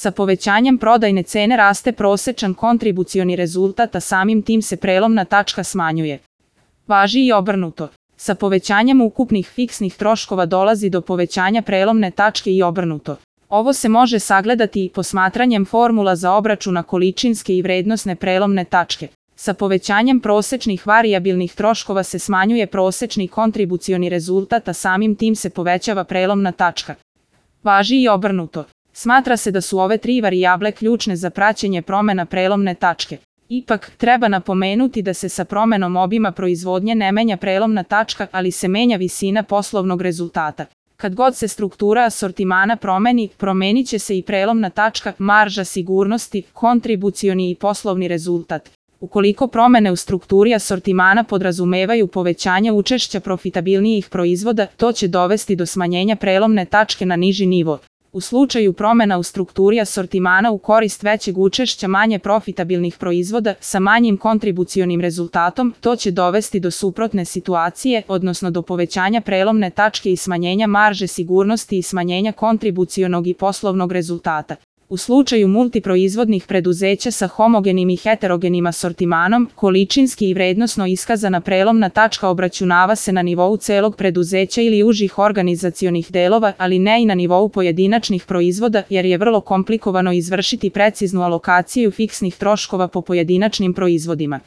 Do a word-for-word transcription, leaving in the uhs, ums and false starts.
Sa povećanjem prodajne cene raste prosečan kontribucioni rezultat, a samim tim se prelomna tačka smanjuje. Važi i obrnuto. Sa povećanjem ukupnih fiksnih troškova dolazi do povećanja prelomne tačke i obrnuto. Ovo se može sagledati i posmatranjem formula za obračuna količinske i vrednosne prelomne tačke. Sa povećanjem prosečnih varijabilnih troškova se smanjuje prosečni kontribucioni rezultat, a samim tim se povećava prelomna tačka. Važi i obrnuto. Smatra se da su ove tri varijable ključne za praćenje promena prelomne tačke. Ipak, treba napomenuti da se sa promenom obima proizvodnje ne menja prelomna tačka, ali se menja visina poslovnog rezultata. Kad god se struktura asortimana promeni, promenit će se i prelomna tačka, marža sigurnosti, kontribucioni i poslovni rezultat. Ukoliko promene u strukturi asortimana podrazumevaju povećanje učešća profitabilnijih proizvoda, to će dovesti do smanjenja prelomne tačke na niži nivo. U slučaju promena u strukturi asortimana u korist većeg učešća manje profitabilnih proizvoda sa manjim kontribucionim rezultatom, to će dovesti do suprotne situacije, odnosno do povećanja prelomne tačke i smanjenja marže sigurnosti i smanjenja kontribucionog i poslovnog rezultata. U slučaju multiproizvodnih preduzeća sa homogenim i heterogenim asortimanom, količinski i vrednosno iskazana prelomna tačka obračunava se na nivou celog preduzeća ili užih organizacionih delova, ali ne i na nivou pojedinačnih proizvoda, jer je vrlo komplikovano izvršiti preciznu alokaciju fiksnih troškova po pojedinačnim proizvodima.